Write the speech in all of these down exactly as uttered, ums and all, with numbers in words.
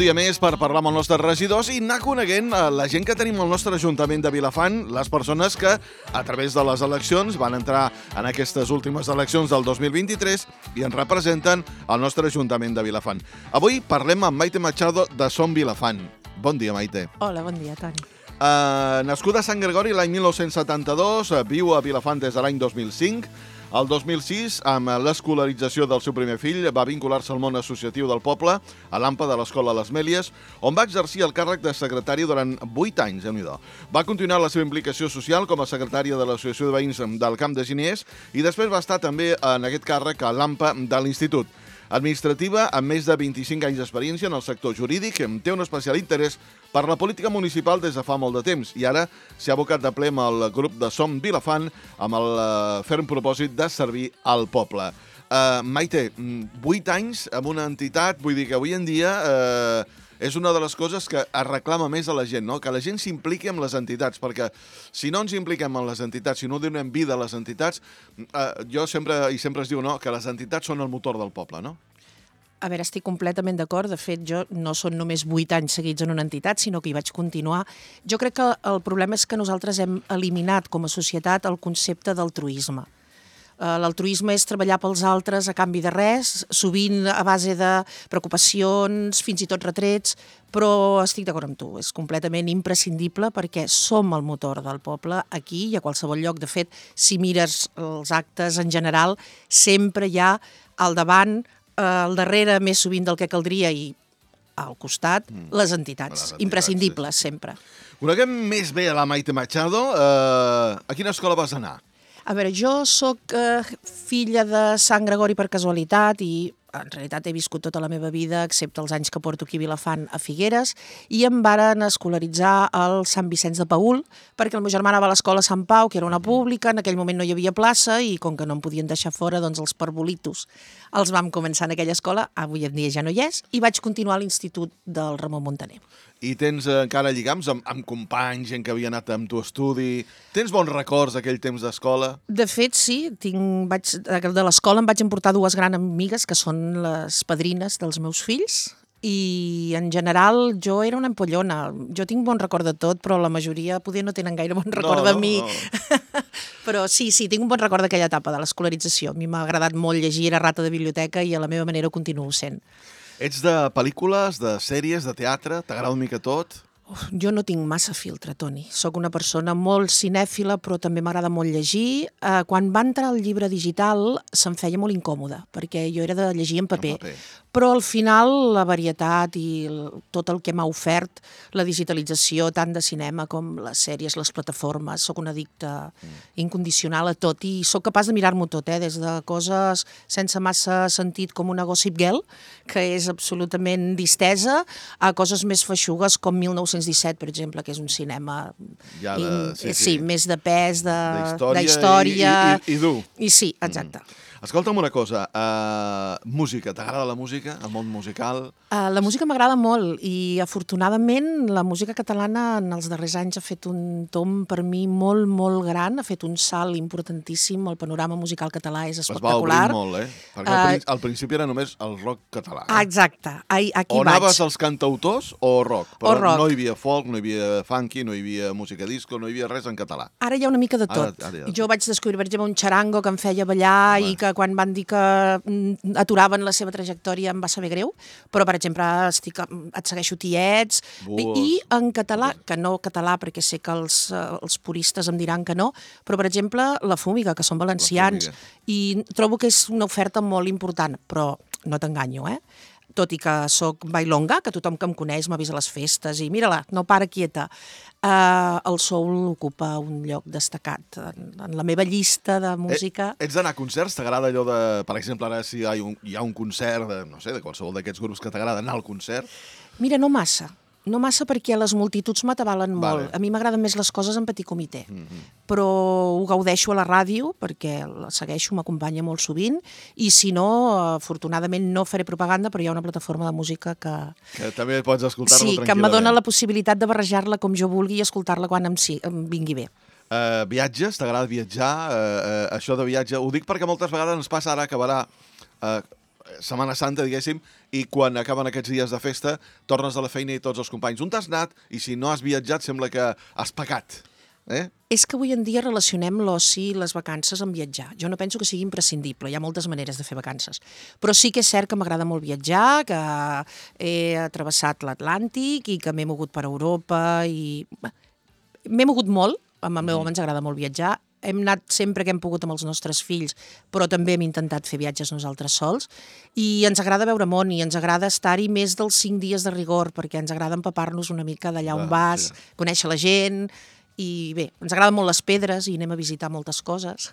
dia més per parlar amb els nostres regidors i anar coneguent la gent que tenim al nostre Ajuntament de Vilafant, les persones que, a través de les eleccions, van entrar en aquestes últimes eleccions del dos mil vint-i-tres i ens representen al nostre Ajuntament de Vilafant. Avui parlem amb Maite Machado de Som Vilafant. Bon dia, Maite. Hola, bon dia, Toni. Uh, nascuda a Sant Gregori l'any mil nou-cents setanta-dos, uh, viu a Vilafant des de l'any dos mil cinc. El dos mil sis, amb l'escolarització del seu primer fill, va vincular-se al món associatiu del poble, a l'A M P A de l'Escola Les Mèlies, on va exercir el càrrec de secretari durant vuit anys. Va continuar la seva implicació social com a secretària de l'Associació de Veïns del Camp de Giniers i després va estar també en aquest càrrec a l'A M P A de l'Institut. Administrativa, amb més de vint-i-cinc anys d'experiència en el sector jurídic, té un especial interès per la política municipal des de fa molt de temps i ara s'ha abocat de ple amb el grup de Som Vilafant amb el ferm propòsit de servir al poble. Uh, Maite, vuit anys amb una entitat, vull dir que avui en dia uh, és una de les coses que es reclama més a la gent, no? Que la gent s'impliqui amb les entitats, perquè si no ens impliquem en les entitats, si no donem vida a les entitats, uh, jo sempre, i sempre es diu no, que les entitats són el motor del poble, no? A veure, estic completament d'acord. De fet, jo no són només vuit anys seguits en una entitat, sinó que hi vaig continuar. Jo crec que el problema és que nosaltres hem eliminat com a societat el concepte d'altruisme. L'altruisme és treballar pels altres a canvi de res, sovint a base de preocupacions, fins i tot retrets, però estic d'acord amb tu, és completament imprescindible perquè som el motor del poble aquí i a qualsevol lloc. De fet, si mires els actes en general, sempre hi ha al davant, al darrere més sovint del que caldria i al costat, mm. les entitats, les entitats imprescindibles, sí, sí. Sempre. Coneguem més bé a la Maite Machado. Uh, a quina escola vas anar? A veure, jo sóc eh, filla de Sant Gregori per casualitat i en realitat he viscut tota la meva vida, excepte els anys que porto aquí a Vilafant, a Figueres, i em varen escolaritzar al Sant Vicenç de Paül, perquè el meu germà anava a l'escola Sant Pau, que era una pública, en aquell moment no hi havia plaça, i com que no em podien deixar fora, doncs els parvolitos els vam començar en aquella escola, avui en dia ja no hi és, i vaig continuar a l'Institut del Ramon Muntaner. I tens encara lligams amb, amb companys, gent que havia anat amb tu a estudi? Tens bons records d'aquell temps d'escola? De fet, sí. Tinc, vaig, de l'escola em vaig emportar dues grans amigues, que són les padrines dels meus fills, i en general jo era una empollona. Jo tinc bon record de tot, però la majoria poder no tenen gaire bon record no, de mi. No, no. Però sí, sí, tinc un bon record d'aquella etapa de l'escolarització. A mi m'ha agradat molt llegir, era rata de biblioteca i a la meva manera ho continuo sent. Ets de pel·lícules, de sèries, de teatre? T'agrada una mica tot? Uf, jo no tinc massa filtre, Toni. Soc una persona molt cinèfila, però també m'agrada molt llegir. Eh, quan va entrar el llibre digital se'm feia molt incòmode, perquè jo era de llegir en paper. En paper. Però al final la varietat i el, tot el que m'ha ofert la digitalització, tant de cinema com les sèries, les plataformes, soc una addicta mm. incondicional a tot i sóc capaç de mirar-m'ho tot, eh? Des de coses sense massa sentit com una Gossip Girl, que és absolutament distesa, a coses més feixugues com mil nou-cents disset, per exemple, que és un cinema ja de, in, sí, sí, sí. més de pes, de, de història. I, i, i dur. I sí, exacte. Mm. Escolta'm una cosa, uh, música, t'agrada la música, el món musical? Uh, la música m'agrada molt i afortunadament la música catalana en els darrers anys ha fet un tomb per mi molt, molt gran, ha fet un salt importantíssim, el panorama musical català és espectacular. Es va obrir molt, eh? Perquè uh, al, principi, al principi era només el rock català. Eh? Exacte, aquí o vaig. O anaves als cantautors o rock, però o rock. No hi havia folk, no hi havia funky, no hi havia música disco, no hi havia res en català. Ara hi ha una mica de tot. Ara, ara jo vaig descobrir, per exemple, un xarango que em feia ballar Home. i que quan van dir que aturaven la seva trajectòria em va saber greu, però per exemple estic, et segueixo Tiets i, i en català, que no català perquè sé que els, els puristes em diran que no, però per exemple La Fúmiga, que són valencians i trobo que és una oferta molt important, però no t'enganyo, eh? Tot i que sóc bailonga, que tothom que em coneix m'ha vist a les festes i mira-la, no para quieta. Uh, el soul ocupa un lloc destacat en, en la meva llista de música. Eh, ets d'anar a concerts? T'agrada allò de... Per exemple, ara si hi ha un, hi ha un concert de, no sé, de qualsevol d'aquests grups que t'agrada anar al concert? Mira, no massa. No massa perquè les multituds m'atabalen molt. Vale. A mi m'agraden més les coses en petit comitè. Mm-hmm. Però ho gaudeixo a la ràdio, perquè la segueixo, m'acompanya molt sovint, i si no, afortunadament no faré propaganda, però hi ha una plataforma de música que... Que també pots escoltar-la sí, tranquil·lament. Sí, que m'adona la possibilitat de barrejar-la com jo vulgui i escoltar-la quan em, sí, em vingui bé. Uh, viatges? T'agrada viatjar? Uh, uh, això de viatge... Ho dic perquè moltes vegades ens passa ara que acabarà... Uh, Setmana Santa, diguéssim, i quan acaben aquests dies de festa, tornes a la feina i tots els companys, on t'has anat? I si no has viatjat, sembla que has pecat. Eh? És que avui en dia relacionem l'oci i les vacances amb viatjar. Jo no penso que sigui imprescindible, hi ha moltes maneres de fer vacances. Però sí que és cert que m'agrada molt viatjar, que he travessat l'Atlàntic i que m'he mogut per Europa i... M'he mogut molt, amb el meu home ens agrada molt viatjar, hem anat sempre que hem pogut amb els nostres fills, però també hem intentat fer viatges nosaltres sols, i ens agrada veure món, i ens agrada estar-hi més dels cinc dies de rigor, perquè ens agrada empapar-nos una mica d'allà on vas, conèixer la gent... I bé, ens agraden molt les pedres i anem a visitar moltes coses.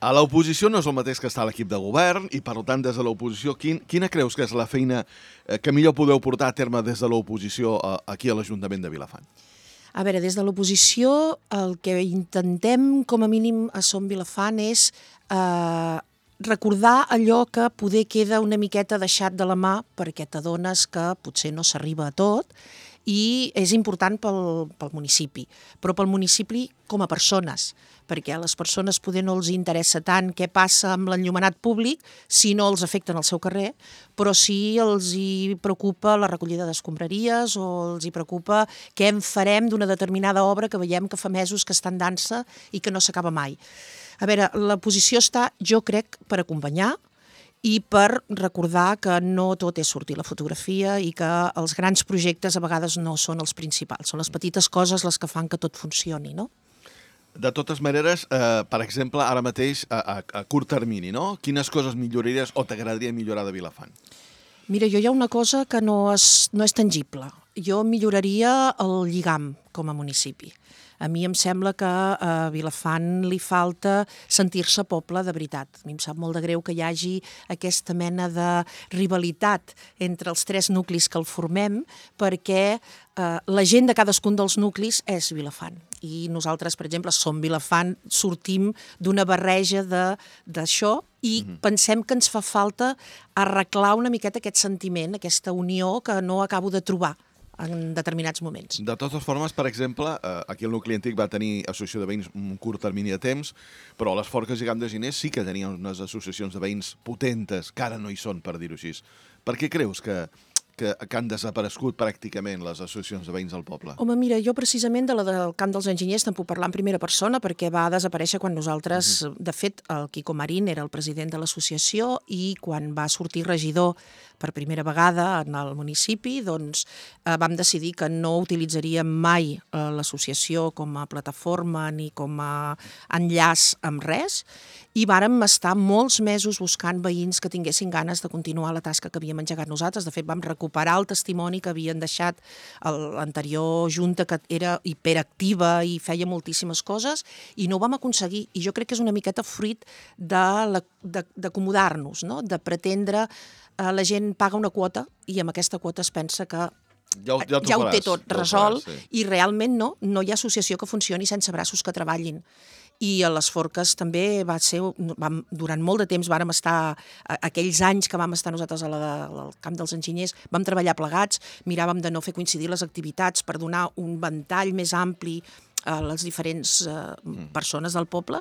A l'oposició no és el mateix que està a l'equip de govern i, per tant, des de l'oposició, quin, quina creus que és la feina que millor podeu portar a terme des de l'oposició aquí a l'Ajuntament de Vilafant? A veure, des de l'oposició el que intentem, com a mínim, a Som Vilafant és eh, recordar allò que poder queda una miqueta deixat de la mà perquè t'adones que potser no s'arriba a tot, i és important pel, pel municipi, però pel municipi com a persones, perquè a les persones poder no els interessa tant què passa amb l'enllumenat públic si no els afecten al seu carrer, però sí els hi preocupa la recollida d'escombraries o els hi preocupa què en farem d'una determinada obra que veiem que fa mesos que està en dansa i que no s'acaba mai. A veure, la posició està, jo crec, per acompanyar, i per recordar que no tot és sortir a la fotografia i que els grans projectes a vegades no són els principals, són les petites coses les que fan que tot funcioni, no? De totes maneres, eh, per exemple, ara mateix, a, a, a curt termini, no? Quines coses milloraries o t'agradaria millorar de Vilafant? Mira, jo hi ha una cosa que no és, no és tangible. Jo milloraria el lligam com a municipi. A mi em sembla que a Vilafant li falta sentir-se poble de veritat. A mi em sap molt de greu que hi hagi aquesta mena de rivalitat entre els tres nuclis que el formem, perquè eh, la gent de cadascun dels nuclis és Vilafant. I nosaltres, per exemple, Som Vilafant, sortim d'una barreja d'això i mm-hmm. pensem que ens fa falta arreglar una miqueta aquest sentiment, aquesta unió que no acabo de trobar en determinats moments. De totes formes, per exemple, aquí el nucli antic va tenir associació de veïns un curt termini de temps, però a les Forques i Camp de Ginés sí que tenien unes associacions de veïns potentes, que ara no hi són, per dir-ho així. Per què creus que, que, que han desaparegut pràcticament les associacions de veïns del poble? Home, mira, jo precisament de la del Camp dels Enginyers te'n puc parlar en primera persona perquè va desaparèixer quan nosaltres, uh-huh. de fet, el Quico Marín era el president de l'associació i quan va sortir regidor per primera vegada en el municipi, doncs eh, vam decidir que no utilitzaríem mai eh, l'associació com a plataforma ni com a enllaç amb res, i vàrem estar molts mesos buscant veïns que tinguessin ganes de continuar la tasca que havíem engegat nosaltres. De fet, vam recuperar el testimoni que havien deixat l'anterior junta, que era hiperactiva i feia moltíssimes coses, i no ho vam aconseguir. I jo crec que és una miqueta fruit d'acomodar-nos, no? De pretendre la gent paga una quota i amb aquesta quota es pensa que ja ho, ja ja ho té tot ja resolt, faràs, sí. I realment no, no hi ha associació que funcioni sense braços que treballin. I a les Forques també va ser, vam, durant molt de temps vàrem estar, aquells anys que vam estar nosaltres a la, al Camp dels Enginyers, vam treballar plegats, miràvem de no fer coincidir les activitats per donar un ventall més ampli a les diferents eh, persones del poble.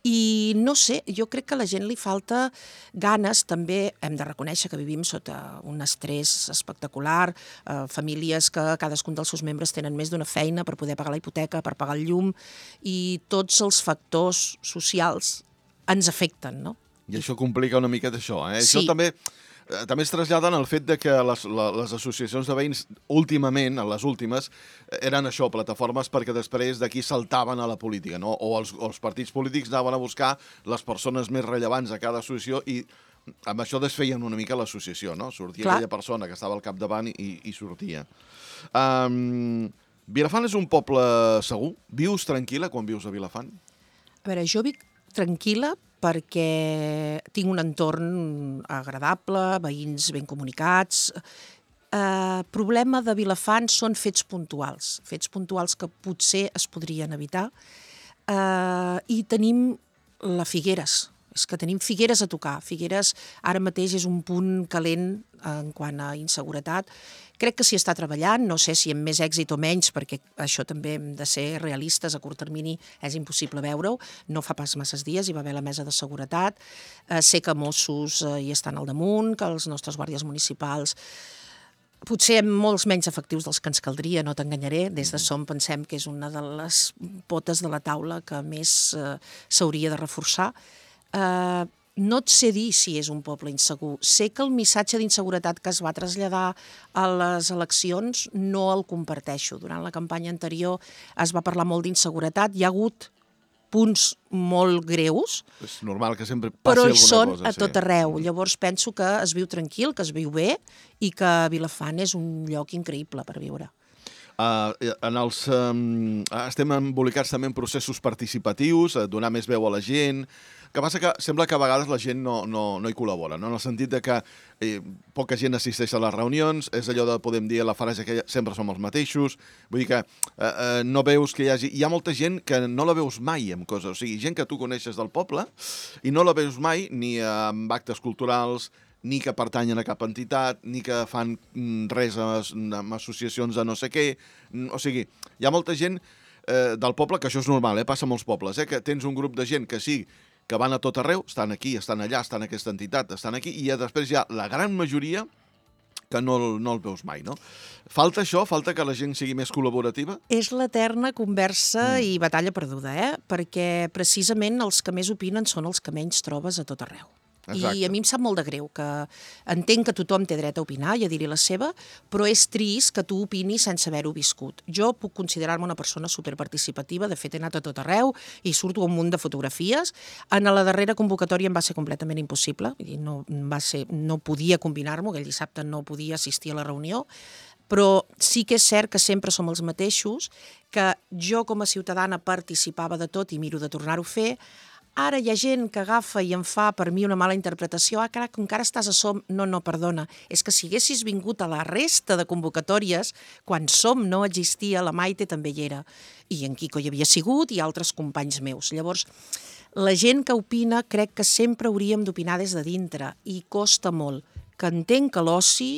I no sé, jo crec que a la gent li falta ganes, també hem de reconèixer que vivim sota un estrès espectacular, eh, famílies que cadascun dels seus membres tenen més d'una feina per poder pagar la hipoteca, per pagar el llum, i tots els factors socials ens afecten, no? I això complica una miqueta això, eh? Sí. Això també... També es traslladen el fet de que les, les associacions de veïns últimament, les últimes, eren això, plataformes perquè després d'aquí saltaven a la política, no? O els, els partits polítics anaven a buscar les persones més rellevants a cada associació i amb això desfeien una mica l'associació, no? Sortia Clar. aquella persona que estava al capdavant i, i sortia. Um, Vilafant és un poble segur? Vius tranquil·la quan vius a Vilafant? A veure, jo vic tranquil·la perquè tinc un entorn agradable, veïns ben comunicats. El problema de Vilafant són fets puntuals, fets puntuals que potser es podrien evitar. Eh, I tenim la Figueres, És que tenim Figueres a tocar. Figueres ara mateix és un punt calent en quant a inseguretat. Crec que s'hi està treballant, no sé si amb més èxit o menys, perquè això també hem de ser realistes, a curt termini és impossible veure-ho. No fa pas masses dies hi va haver la mesa de seguretat. Eh, sé que Mossos eh, hi estan al damunt, que els nostres guàrdies municipals potser amb molts menys efectius dels que ens caldria, no t'enganyaré. Des de SOM pensem que és una de les potes de la taula que més eh, s'hauria de reforçar. Uh, no et sé dir si és un poble insegur. Sé que el missatge d'inseguretat que es va traslladar a les eleccions no el comparteixo. Durant la campanya anterior es va parlar molt d'inseguretat. Hi ha hagut punts molt greus, és normal que sempre passi però hi alguna són cosa, a tot sí. arreu. Llavors penso que es viu tranquil, que es viu bé i que Vilafant és un lloc increïble per viure. Uh, en els, um, estem embolicats també en processos participatius, uh, donar més veu a la gent. El que passa que sembla que a vegades la gent no, no, no hi col·labora, no? En el sentit de que eh, poca gent assisteix a les reunions, és allò de, podem dir, la frase que sempre som els mateixos, vull dir que eh, eh, no veus que hi hagi... Hi ha molta gent que no la veus mai amb coses, o sigui, gent que tu coneixes del poble i no la veus mai ni amb actes culturals, ni que pertanyen a cap entitat, ni que fan res amb associacions de no sé què. O sigui, hi ha molta gent eh, del poble, que això és normal, eh, passa a molts pobles, eh, que tens un grup de gent que sí, que van a tot arreu, estan aquí, estan allà, estan en aquesta entitat, estan aquí, i després hi ha la gran majoria que no, no el veus mai, no? Falta això? Falta que la gent sigui més col·laborativa? És l'eterna conversa mm. i batalla perduda, eh? Perquè precisament els que més opinen són els que menys trobes a tot arreu. Exacte. I a mi em sap molt de greu, que entenc que tothom té dret a opinar i a dir-hi la seva, però és trist que tu opinis sense haver-ho viscut. Jo puc considerar-me una persona superparticipativa, de fet he anat a tot arreu i surto un munt de fotografies. En la darrera convocatòria em va ser completament impossible, no, va ser, no podia combinar-m'ho, aquell dissabte no podia assistir a la reunió, però sí que és cert que sempre som els mateixos, que jo com a ciutadana participava de tot i miro de tornar-ho a fer. Ara hi ha gent que agafa i em fa per mi una mala interpretació. Ah, carai, que encara estàs a SOM. No, no, perdona. És que si haguessis vingut a la resta de convocatòries, quan SOM no existia, la Maite també hi era. I en Quico hi havia sigut i altres companys meus. Llavors, la gent que opina crec que sempre hauríem d'opinar des de dintre i costa molt. Que entenc que l'oci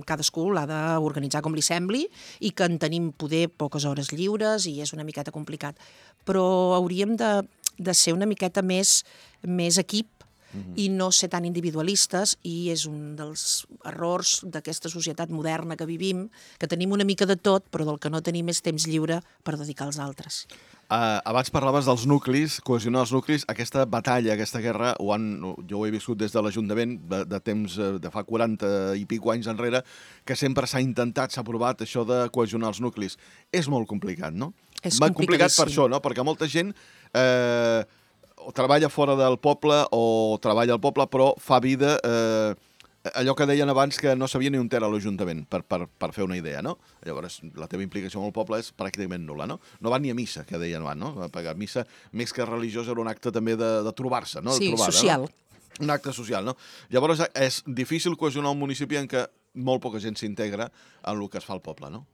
cadascú l'ha d'organitzar com li sembli i que en tenim poder poques hores lliures i és una miqueta complicat. Però hauríem de de ser una miqueta més, més equip mm-hmm. i no ser tan individualistes, i és un dels errors d'aquesta societat moderna que vivim, que tenim una mica de tot, però del que no tenim és temps lliure per dedicar als altres. Uh, abans parlaves dels nuclis, cohesionar els nuclis. Aquesta batalla, aquesta guerra, ho han, jo ho he viscut des de l'Ajuntament de, de temps, de fa quaranta i pico anys enrere, que sempre s'ha intentat, s'ha provat això de cohesionar els nuclis. És molt complicat, no? És complicat per això, no? Perquè molta gent eh, o treballa fora del poble o treballa al poble, però fa vida... Eh, allò que deien abans, que no sabia ni on era l'Ajuntament, per, per, per fer una idea, no? Llavors, la teva implicació amb el poble és pràcticament nul·la, no? No van ni a missa, que deien abans, no? Perquè a missa, més que religiós, era un acte també de, de trobar-se, no? De sí, trobada, social. No? Un acte social, no? Llavors, és difícil cohesionar un municipi en què molt poca gent s'integra en el que es fa al poble, no?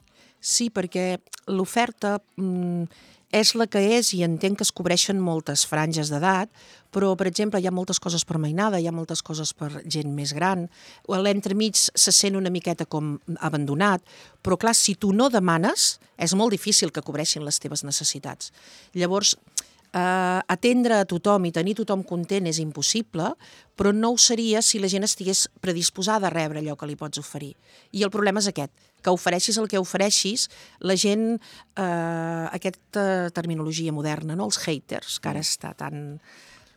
Sí, perquè l'oferta mm, és la que és i entenc que es cobreixen moltes franges d'edat, però, per exemple, hi ha moltes coses per mainada, hi ha moltes coses per gent més gran, l'entremig se sent una miqueta com abandonat, però, clar, si tu no demanes, és molt difícil que cobreixin les teves necessitats. Llavors, eh, atendre a tothom i tenir tothom content és impossible, però no ho seria si la gent estigués predisposada a rebre allò que li pots oferir. I el problema és aquest, que ofereixis el que ofereixis, la gent, eh, aquesta terminologia moderna, no? Els haters, que ara està tan...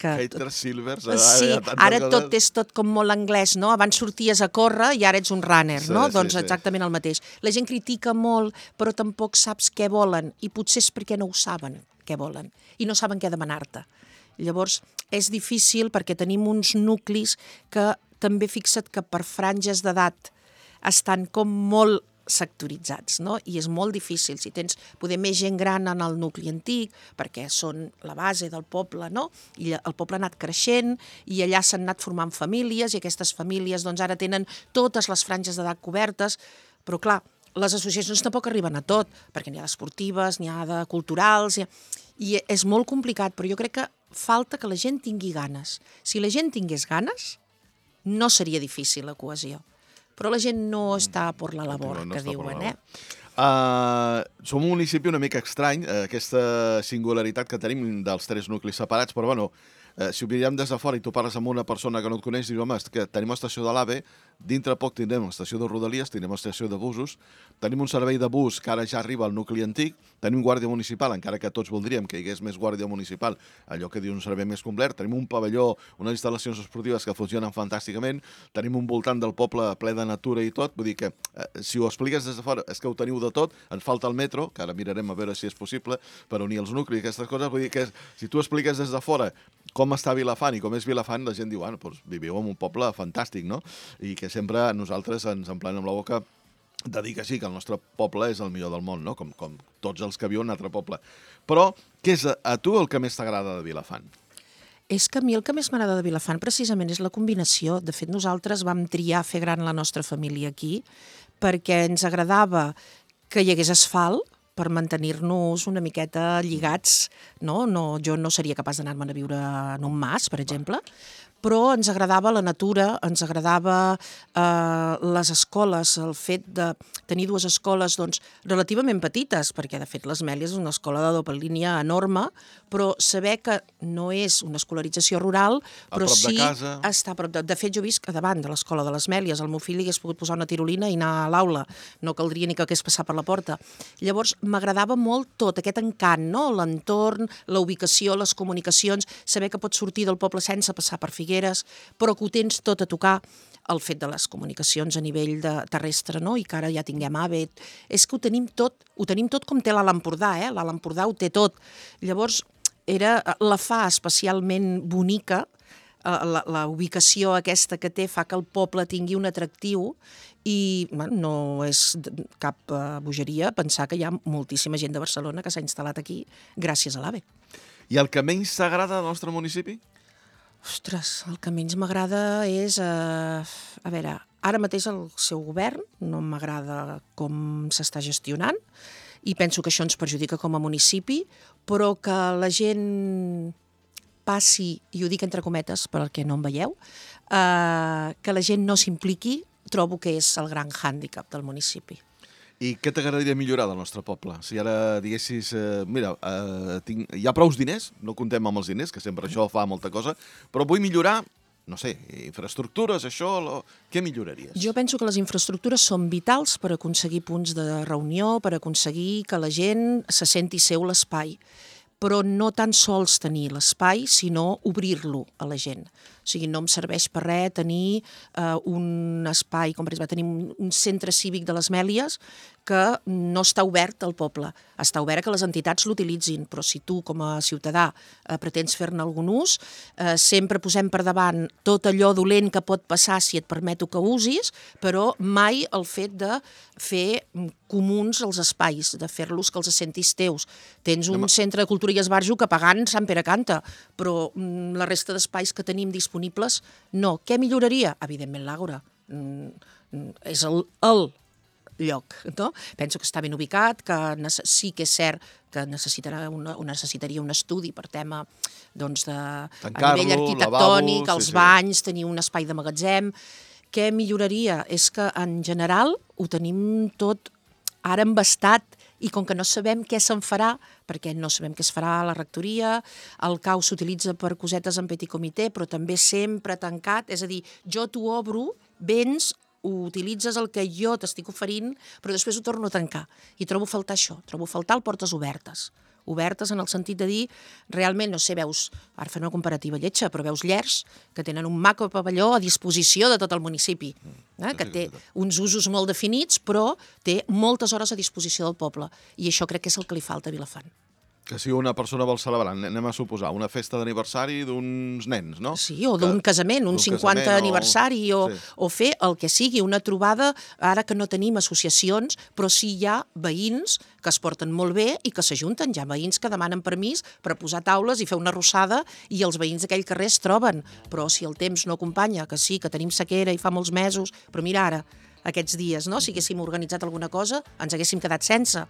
Que... Haters, silvers... Sí, ara tot és tot com molt anglès, no? Abans sorties a córrer i ara ets un runner, no? Sí, doncs exactament el mateix. La gent critica molt, però tampoc saps què volen, i potser és perquè no ho saben què volen, i no saben què demanar-te. Llavors, és difícil perquè tenim uns nuclis que també fixa't que per franges d'edat estan com molt sectoritzats, no? I és molt difícil, si tens poder més gent gran en el nucli antic, perquè són la base del poble, no? I el poble ha anat creixent i allà s'han anat formant famílies i aquestes famílies doncs ara tenen totes les franges d'edat cobertes, però clar, les associacions tampoc arriben a tot, perquè n'hi ha d'esportives, n'hi ha de culturals, i és molt complicat, però jo crec que falta que la gent tingui ganes. Si la gent tingués ganes, no seria difícil la cohesió. Però la gent no està per la labor, No que està per diuen, la eh? Uh, som un municipi una mica estrany, uh, aquesta singularitat que tenim dels tres nuclis separats, però bueno, uh, si ho mirem des de fora i tu parles amb una persona que no et coneix, dius, home, és que tenim estació de l'AVE, dintre poc tindrem estació de Rodalies, tindrem estació de busos, tenim un servei de bus que ara ja arriba al nucli antic, tenim guàrdia municipal, encara que tots voldríem que hi hagués més guàrdia municipal, allò que diu un servei més complet, tenim un pavelló, unes instal·lacions esportives que funcionen fantàsticament, tenim un voltant del poble ple de natura i tot, vull dir que eh, si ho expliques des de fora és que ho teniu de tot, ens falta el metro, que ara mirarem a veure si és possible per unir els nuclis i aquestes coses, vull dir que si tu expliques des de fora com està Vilafant i com és Vilafant, la gent diu, bueno, doncs viviu en un poble fantàstic, no? I que sempre nosaltres ens emplenem la boca de dir que sí, que el nostre poble és el millor del món, no? Com, com tots els que viuen en un altre poble. Però què és a, a tu el que més t'agrada de Vilafant? És que a mi el que més m'agrada de Vilafant precisament és la combinació. De fet, nosaltres vam triar fer gran la nostra família aquí perquè ens agradava que hi hagués asfalt per mantenir-nos una miqueta lligats, no? No, jo no seria capaç d'anar-me'n a viure en un mas, per exemple, però ens agradava la natura, ens agradava eh, les escoles, el fet de tenir dues escoles doncs, relativament petites, perquè de fet l'Esmèlia és una escola de doble línia enorme, però saber que no és una escolarització rural, però a prop sí de casa. està a prop de... De fet, jo visc a davant de l'escola de l'Esmèlies, el meu fill hagués pogut posar una tirolina i anar a l'aula, no caldria ni que hagués passat per la porta. Llavors, m'agradava molt tot aquest encant, no? L'entorn, la ubicació, les comunicacions, saber que pots sortir del poble sense passar per Figueres, però que ho tens tot a tocar, el fet de les comunicacions a nivell de terrestre, no? I que ara ja tinguem AVE, és que ho tenim tot, ho tenim tot com té l'Alt Empordà, eh? L'Alt Empordà ho té tot. Llavors, era, la fa especialment bonica, la, la ubicació aquesta que té fa que el poble tingui un atractiu i bueno, no és cap uh, bogeria pensar que hi ha moltíssima gent de Barcelona que s'ha instal·lat aquí gràcies a l'AVE. I el que menys t'agrada del nostre municipi? Ostres, el que menys m'agrada és... Eh, a veure, ara mateix el seu govern no m'agrada com s'està gestionant i penso que això ens perjudica com a municipi, però que la gent passi, i ho dic entre cometes perquè no em veieu, eh, que la gent no s'impliqui, trobo que és el gran hàndicap del municipi. I què t'agradaria millorar del nostre poble? Si ara diguessis, eh, mira, eh, tinc, hi ha prous diners, no comptem amb els diners, que sempre això fa molta cosa, però vull millorar, no sé, infraestructures, això, lo... què milloraries? Jo penso que les infraestructures són vitals per aconseguir punts de reunió, per aconseguir que la gent se senti seu l'espai, però no tan sols tenir l'espai, sinó obrir-lo a la gent. O sigui, no em serveix per res tenir eh, un espai, com per exemple tenim un, un centre cívic de les Mèlies que no està obert al poble. Està obert que les entitats l'utilitzin, però si tu com a ciutadà eh, pretens fer-ne algun ús, eh, sempre posem per davant tot allò dolent que pot passar si et permeto que usis, però mai el fet de fer comuns els espais, de fer-los que els sentis teus. Tens un Anem. centre de cultura i esbarjo que pagant Sant Pere canta, però mm, la resta d'espais que tenim disponibles, no. Què milloraria? Evidentment l'Àgora. Mm, és el, el lloc, no? Penso que està ben ubicat, que sí que és cert que necessitarà una, necessitaria un estudi per tema doncs, de, a nivell arquitectònic, lavabo, els sí, banys, sí. tenir un espai de magatzem. Què milloraria? És que en general ho tenim tot ara embastat i com que no sabem què se'n farà, perquè no sabem què es farà a la rectoria, el C A U s'utilitza per cosetes en petit comitè, però també sempre tancat, és a dir, jo t'ho obro, vens, ho utilitzes el que jo t'estic oferint, però després ho torno a tancar. I trobo a faltar això, trobo a faltar el portes obertes. Obertes en el sentit de dir, realment, no sé, veus, ara fem una comparativa lletja, però veus Llers que tenen un maco pavelló a disposició de tot el municipi, eh, que té uns usos molt definits, però té moltes hores a disposició del poble. I això crec que és el que li falta a Vilafant. Que si una persona vol celebrar, anem a suposar, una festa d'aniversari d'uns nens, no? Sí, o d'un casament, un cinquanta aniversari, o, sí. o fer el que sigui, una trobada, ara que no tenim associacions, però sí hi ha veïns que es porten molt bé i que s'ajunten. Hi ha veïns que demanen permís per posar taules i fer una arrossada i els veïns d'aquell carrer es troben. Però si el temps no acompanya, que sí, que tenim sequera i fa molts mesos, però mira ara, aquests dies, no? Si haguéssim organitzat alguna cosa, ens haguéssim quedat sense.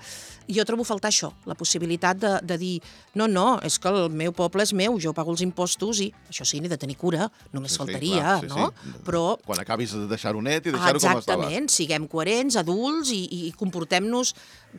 I jo trobo faltar això, la possibilitat de, de dir no, no, és que el meu poble és meu, jo pago els impostos i això sí, n'he de tenir cura, només Sí, sí, faltaria, clar, sí, no? sí. Però Quan acabis de deixar-ho net i deixar-ho com estava. exactament, siguem coherents, adults i, i comportem-nos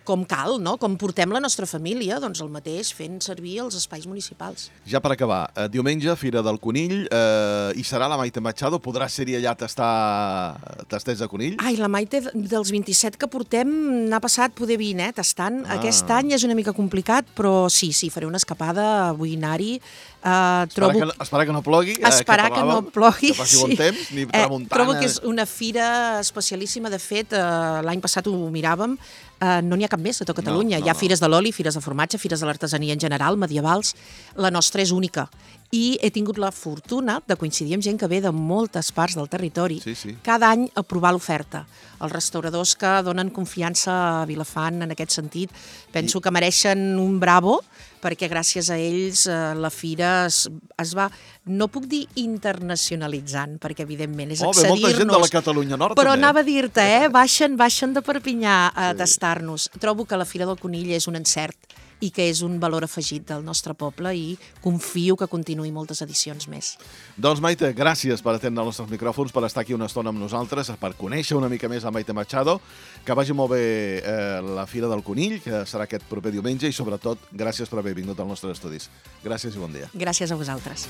com cal, no? Com portem la nostra família, doncs el mateix, fent servir els espais municipals. Ja per acabar, eh, diumenge, Fira del Conill, eh, hi serà la Maite Machado, podrà ser-hi allà a tastar tastets de conill? Ai, la Maite, dels vint-i-set que portem, n'ha passat poder vint, eh, tastant. Ah. Aquest any és una mica complicat, però sí, sí, faré una escapada, vull anar-hi. Uh, Espera, trobo... que, espera que no plogui. eh, Esperar que, que no parlàvem, plogui. Que passi bon temps, ni tramuntana. Eh, trobo que és una fira especialíssima. De fet, eh, l'any passat ho miràvem, eh, no n'hi ha cap més a tot Catalunya. No, no, Hi ha no. fires de l'oli, fires de formatge, fires de l'artesania en general, medievals. La nostra és única. I he tingut la fortuna de coincidir amb gent que ve de moltes parts del territori, Sí, sí. cada any a provar l'oferta. Els restauradors que donen confiança a Vilafant en aquest sentit, penso I... que mereixen un bravo, perquè gràcies a ells eh, la fira es, es va, no puc dir internacionalitzant, perquè evidentment és Oh, ve molta gent de la accedir-nos, Catalunya Nord, però també. anava a dir-te, eh, baixen, baixen de Perpinyà a sí. tastar-nos. Trobo que la Fira del Conill és un encert i que és un valor afegit del nostre poble i confio que continuï moltes edicions més. Doncs Maite, gràcies per atendre els nostres micròfons, per estar aquí una estona amb nosaltres, per conèixer una mica més a Maite Machado, que vagi molt bé eh, la Fira del Conill, que serà aquest proper diumenge, i sobretot gràcies per haver vingut als nostres estudis. Gràcies i bon dia. Gràcies a vosaltres.